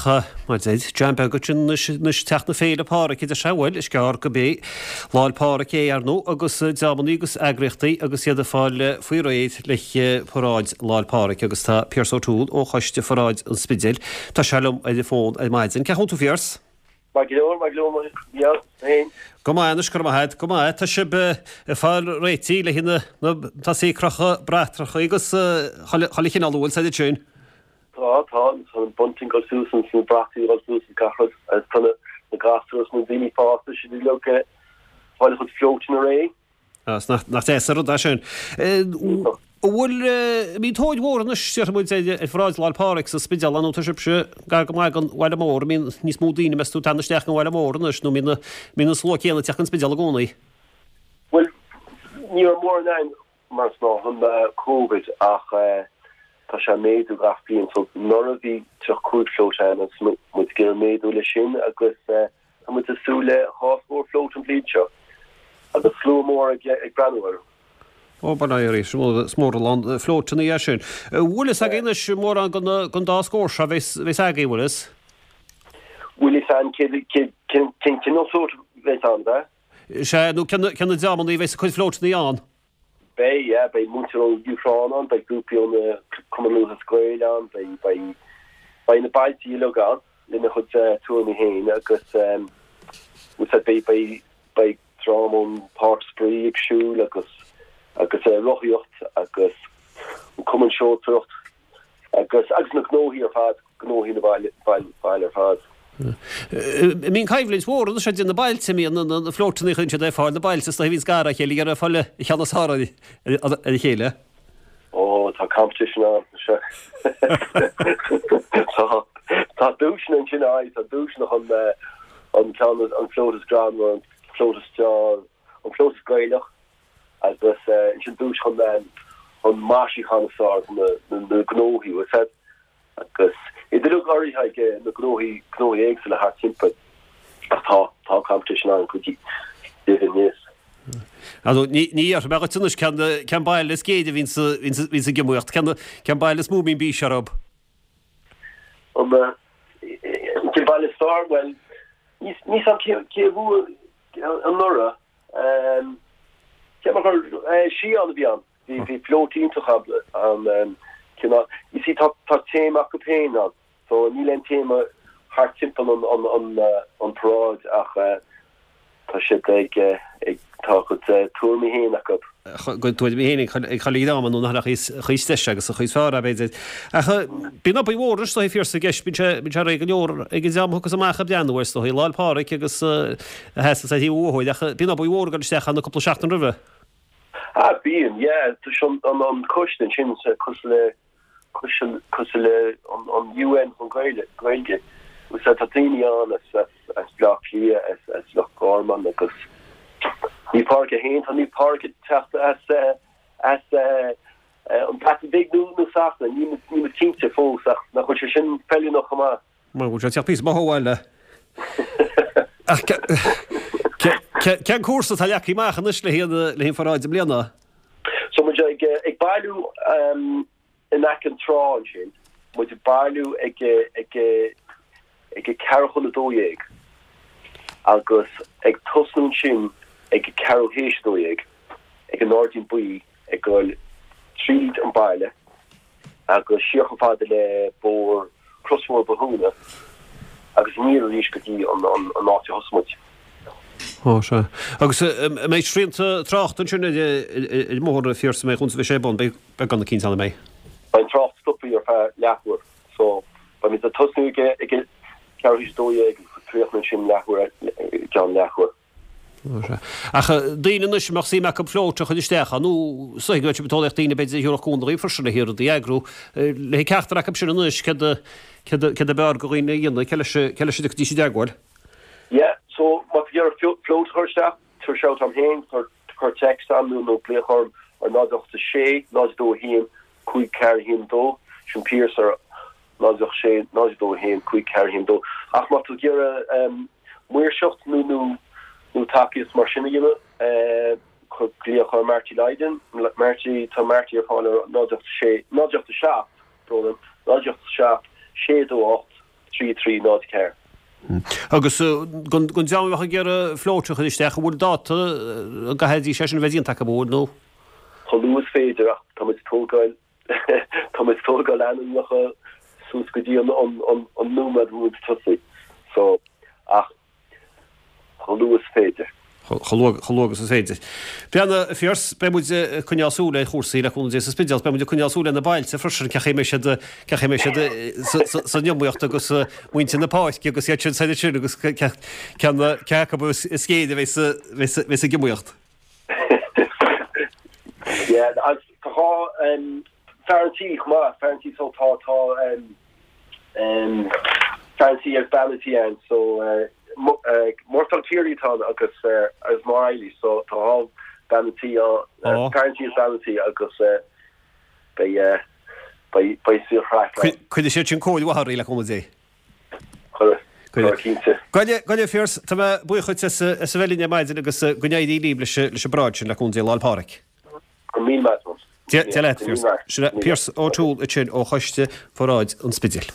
Ach mar deir, dream beag ansin anois, anois teacht na Féile Pádraig idir sé, bhuel, is gearr go mbeidh Lá'l Pádraig é, ar ndóigh, agus dreamannaí agus eagraíochtaí agus iad ag fáil faoi réir le paráid Lá'l Pádraig agus tá Pearse O'Toole ó Choiste Pharáid an Spidéil, tá sé liom ar an bhfón ar maidin. Cén chaoi a bhfuil tú, a Phearse? Maith go leor, maith go leor, yeah, féin. Go maith anois, go raibh maith agat, go maith. Tá sibh ag fáil réitithe le na, na, tá sí ag crochadh bratacha agus chuile chineál a bhfuil said ansin. Tá, tá, tá an bunting ag dul suas agus na brataí ag dul suas agus gach rud agus tá na na gasúir agus na daoine fásta siad uilig ag fáil a chuid floatanna réidh. Á, 's nach, nach deas an rud é sin. An bhfuil, an mbíonn tóir mhór anois, déarfaidh muid, ar ar pharáid Lá'l Pádraig sa Spidéal nó tá sibhse gar go maith don bhaile mór, an mbíonn níos mó daoine meas tú ag teacht isteach ón bhaile mór anois nó an mbíonn, mbíonn an slua céanna ag teacht ón Spidéal i gcónaí? Bhuel, ní raibh mórán ann mar is gnách roimh Covid ach tá sé ag méadú gach bliain so anuraidh bhí 35 float ann agus muid ag iarraidh méadú leis sin agus tá muid ag súil le dhá scór float an bhliain seo agus slua mór ag breathnú orthu. Ó bail ó Dhia oraibh, is mór a lán floatanna é sin. Bhfuil fhios agaibh anois mórán den dá scór seo a bheas agaibh, bhfuil fhios? Bhfuil fhios againn cén cineál float a bheas ann, ab ea? Sea, nó cé na dreamanna a bheas ag cur floatanna ann? Beidh, yeah, beidh muintir ó Dúshraith ann, beidh grúpaí ó na Cumann Lúthchleas Gael ann, beidh, beidh, beidh na bailte uilig ann lena chuid tuairimí féin agus bhfuil fhios beidh, beidh, beidh dream ón Páirc Spraoi ag siúl agus, agus rothaíocht agus an Cumann Seoltóireacht. Agus, agus na gnóthaí ar fad, gnóthaí na baile, baile ar fad. An mbíonn coimhlint mhór anois idir na bailte, an mbíonn na floatanna a chuireann siad ar fáil, na bailte is dóigh a bhíonns gar dá chéile ag iarraidh fáil an ceann is fearr ar a chéile. Ó, tá competition ann, sea. Tá, tá duaiseanna ansin, aye, tá duaiseanna chun an ceann, an float is greannmhar, an float is fearr, an float is Gaelach. agus ansin duais chun an maisiúchán is fearr do na gnóthaí, bhfuil fhios a'd, agus iad uilig urraithe ag na gnóthaí, gnóthaí éagsúla thart timpeall. Ach tá, tá competition ann go deimhin, yes. Ar ndóigh, ní, ní dhéarfaidh mé dhuit anois cén, cén baile is géire a bhíonn sa, bhíonn sa, bhíonn sa iomaíocht, cén, cén baile is mó a mbíonn bís orthu? An, cén baile is fearr? Bhuel, níl fhios a'm cé, cé a bhuaigh anuraidh. Cé mar gur Sián a bhí ann. Bhí bhí float iontach ann. Cineál, you see tá tá téama acu féin ann. So níl aon téama thart timpeall an an an an paráid ach tá siad ag ag tá a gcuid tuairimí féin acu. A gcuid tuairimí féin ag ag chuile dhream nó nach an chaoi is deise agus an chaoi is fearr é b'fhéidir. Ach bíonn obair mhór anois is dóigh a Phiarsaigh i gceist, bíonn sé bíonn sé réidh go leor ag an dream a thiocfas amach ag breathnú air is dóigh, Lá'l Pádraig agus a sheasas ar thaobh an bhóthair ach bíonn obair mhór ag dul isteach ann cúpla seachtain roimhe. Ah bíonn, yeah, tá sé an an coiste ansin cosúil le cosúil le an UN chun Gaeilge, Gaeilge. Tá daoine ann as as Bleá Cliath, as as Loch Garman agus Naomh Pádraig é féin, tá Naomh Pádraig ag teacht as as an Bhreatain Bhig nó nó Sasana, níl muid cinnte fós ach nach bhfuil sé sin feiliúnach chomh maith. Mar bhfuil sé ag teacht píosa maith ó bhaile. Ach cén cúrsa atá leagtha amach anois le haghaidh an pharáid i mbliana? So muid ag ag bailiú in aice an trá ansin, muid ag bailiú ag ag ag ceathrú chun a dó dhéag agus ag tosnú ansin ag ceathrú théis a dó dhéag ag an nGairdín Buí ag goil tríd an baile agus siar chomh fada le bóthar, Crosbhóthar Bothúna agus aniar arís go dtí an an áit a thosaigh muid. Ó, sea. Agus an mbeidh srianta tráchta ansin ar an mbóthar, a Phiarsaigh, an mbeidh chúns a bheidh sé ar bun, beidh beagán eicínt ann, an mbeidh? Beidh an trácht stoptha ar feadh leathuair so beimid ag tosnú ag ag ceathrú théis a dó dhéag agus ag críochnú ansin leathuair i gceann leathuair. Ach daoine anois a mbeadh suim acu float a chur isteach ann, nó is dóigh go mbeadh sibh ag tóraíocht daoine b'fhéidir a thabharfadh cúnamh daoibh freisin le rudaí a eagrú. Le haghaidh ceachtar acu sin anois, céard a, céard a, céard ab fhearr do dhaoine a dhéanamh, cé leis, cé leis a dtiocfaidís i dteagmháil? Yeah, so má tá tú ag iarraidh float a chur isteach, tabhair shout dom féin, cuir, cuir text a'm nó, nó glaoch orm ar 0 8 6 0 2 1 5 4 1 2, sin Pearse ar 0 8 6 0 2 1 5 4 1 2. Ach má tá tú ag iarraidh maoirseacht nó nó nó tacaíocht mar sin a dhéanamh, cuir glaoch ar Marty Lydon, Marty, tá Marty ar fáil ar 0 8 6 0 8 7, brón orm, 0 8 7 6 2 8. 3 3 0 4. Agus don dream a bheadh ag iarraidh float a chur isteach, an bhfuil dáta a gcaithfidís é sin a bheith déanta acu, an bhfuil, nó? Chomh luath is féidir ach tá muid ag tógáil, tá muid ag tógáil ainmneacha suas go dtí an nóiméad a bhfuil muid ag tosaí. So, ach chomh luath is féidir. Chomh luath agus is féidir. Breathnaigh, a Phearse, beidh muid ag coinneáil súil ar chúrsaí le cúnamh Dé sa Spidéal. Beidh muid ag coinneáil súil ar na bailte freisin, cén chaoi a mbeidh siad, cén chaoi a mbeidh siad san iomaíocht agus muintir na páirce agus iad sin soir ansin agus ceann cé acu is géire a bheas ag iomaíocht. Yeah, agus tá dhá fear an tí chomh maith, fear an tí so tá tá fear an tí agus bean an tí ann so Murtagh Keary atá ann agus agus Máire Eilís so tá dhá bean an tí fear an tí agus bean an tí agus beidh beidh beidh saor chraic ann. Cuirfidh siad sin cóir mhaith oraibh le cúnamh Dé. Cuirfidh. Cuirfidh cinnte. Gabh i leith a Phearse, tá mé buíoch dhuit as a bheith linn ar maidin agus go n-éirí libh leis an bparáid sin le cúnamh Dé Lá 'le Pádraig. Go raibh míle maith agat. Dia leat, Pearse. Sin é Pearse O'Toole ansin ó Choiste Pharáid an Spidéil.